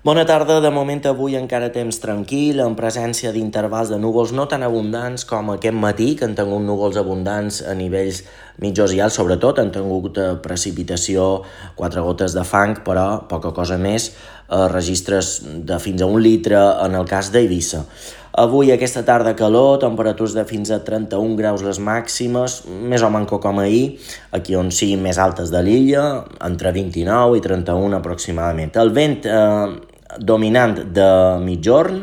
Bona tarda, de moment avui encara temps tranquil, en presència d'intervals de núvols no tan abundants com aquest matí, que han tingut núvols abundants a nivells mitjos i alts, sobretot han tingut precipitació, 4 gotes de fang, però poca cosa més, registres de fins a 1 litre en el cas d'Eivissa. Avui aquesta tarda calor, temperatures de fins a 31 graus les màximes, més o manco com ahir, aquí on siguin més altes de l'illa, entre 29 i 31 aproximadament. El vent dominant de mitjorn,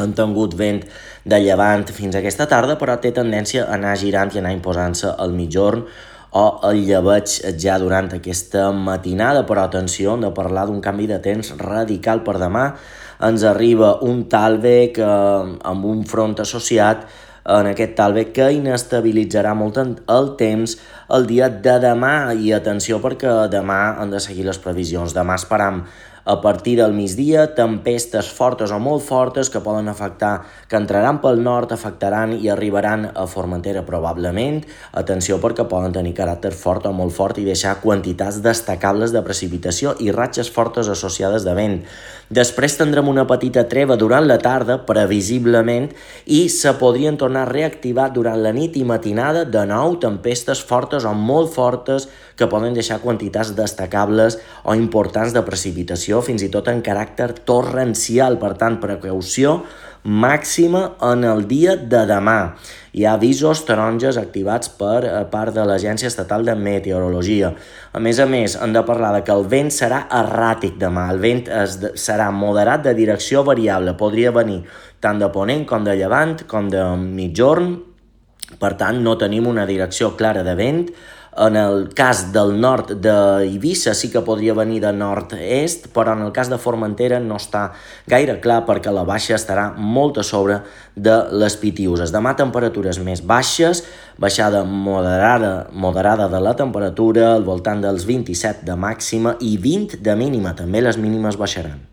han tingut vent de llevant fins a aquesta tarda, però té tendència a anar girant i anar imposant-se al mitjorn o el llebeig ja durant aquesta matinada, però atenció, hem de parlar d'un canvi de temps radical per demà. Ens arriba un talvec amb un front associat en aquest talvec que inestabilitzarà molt el temps el dia de demà, i atenció perquè demà han de seguir les previsions. Demà esperam a partir del migdia tempestes fortes o molt fortes que poden afectar, que entraran pel nord, afectaran i arribaran a Formentera probablement. Atenció perquè poden tenir caràcter fort o molt fort i deixar quantitats destacables de precipitació i ratxes fortes associades de vent. Després tindrem una petita treva durant la tarda, previsiblement, i se podrien tornar a reactivar durant la nit i matinada de nou tempestes fortes o molt fortes que poden deixar quantitats destacables o importants de precipitació, fins i tot en caràcter torrencial. Per tant, precaució màxima en el dia de demà. Hi ha avisos taronges activats per part de l'Agència Estatal de Meteorologia. A més, hem de parlar que el vent serà erràtic demà. El vent serà moderat de direcció variable. Podria venir tant de ponent com de llevant com de mitjorn. Per tant, no tenim una direcció clara de vent. En el cas del nord d'Eivissa sí que podria venir de nord-est, però en el cas de Formentera no està gaire clar perquè la baixa estarà molt a sobre de les Pitiüses. Demà temperatures més baixes, baixada moderada de la temperatura, al voltant dels 27 de màxima i 20 de mínima. També les mínimes baixaran.